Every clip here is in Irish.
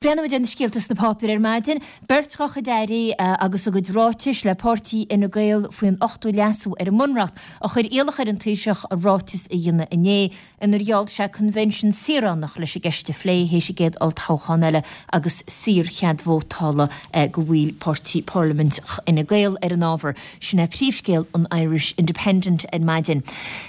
Breathnóimid ar na scéalta sna páipéir ar maidin. Beirt dá chuid airí agus a gcuid ráitis le páirtí Fhine Gael faoin ochtú leasú ar an mBunreacht a chuir iallach ar an Taoiseach ráiteas a dhéanamh inné inar gheall sé coinbhinsean saoránach leis an gceist a phlé théis an gcéad olltoghchán eile agus saorchead vótála do bhaill páirtí Parlaimint Fhine Gael ar an ábhar. Sin é príomhscéal an Irish Independent ar maidin.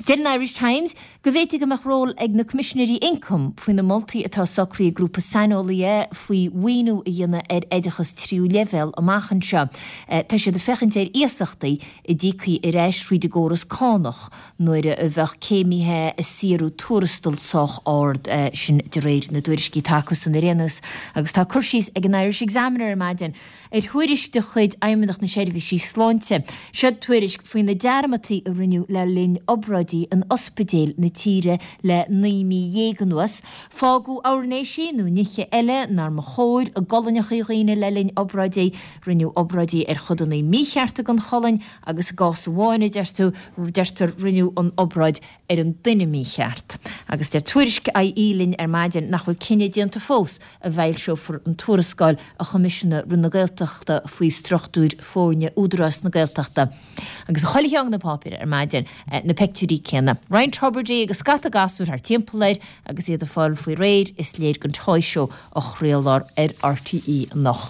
Deir an Irish Times Go bhféadfaí go mbeadh ról ag na Coimisinéirí Ioncaim faoi na moltaí atá socraithe ag grúpa saineolaithe faoi mhaoiniú a dhéanamh ar oideachas tríú leibhéal amach anseo. Tá siad ag féachaint ar iasachtaí a d'íocfaí ar ais thríd an gcóras cánach nuair a bheadh céimithe ag saothrú tuarastal sách ard, sin de réir na dtuairiscí atá acusan ar aon nós. Agus tá cur síos ag an Irish Examiner ar maidin ar thuairisc de chuid Fheidhmeannacht na Seirbhísí Sláinte. Seo tuairisc faoi na dearmadtaí a rinneadh le linn obráidí in ospidéil na tíre le 19 mí anuas. Fágadh airnéisí nó nithe eile nár mba chóir i gcolainneacha dhaoine le linn obráidí. Rinneadh obráidí ar chodanna míchearta den cholainn agus i gcás amháin, a deirtear, rinneadh an obráid ar an duine mícheart. Agus deir tuairisc IE linn ar maidin nach bhfuil cinneadh déanta fós an bhfoilseofar an tuarascáil a choimisiúnaigh Roinn na Gaeltachta faoi struchtúir foirne Údarás na Gaeltachta. Agus i chuile cheann de na páipéir ar maidin, na peictiúirí céanna. Roinnt Tubridy agus scata gasúr thart timpeall air agus iad ag fáil faoi réir, is léir don Toy Show a chraolfar ar RTÉ anocht.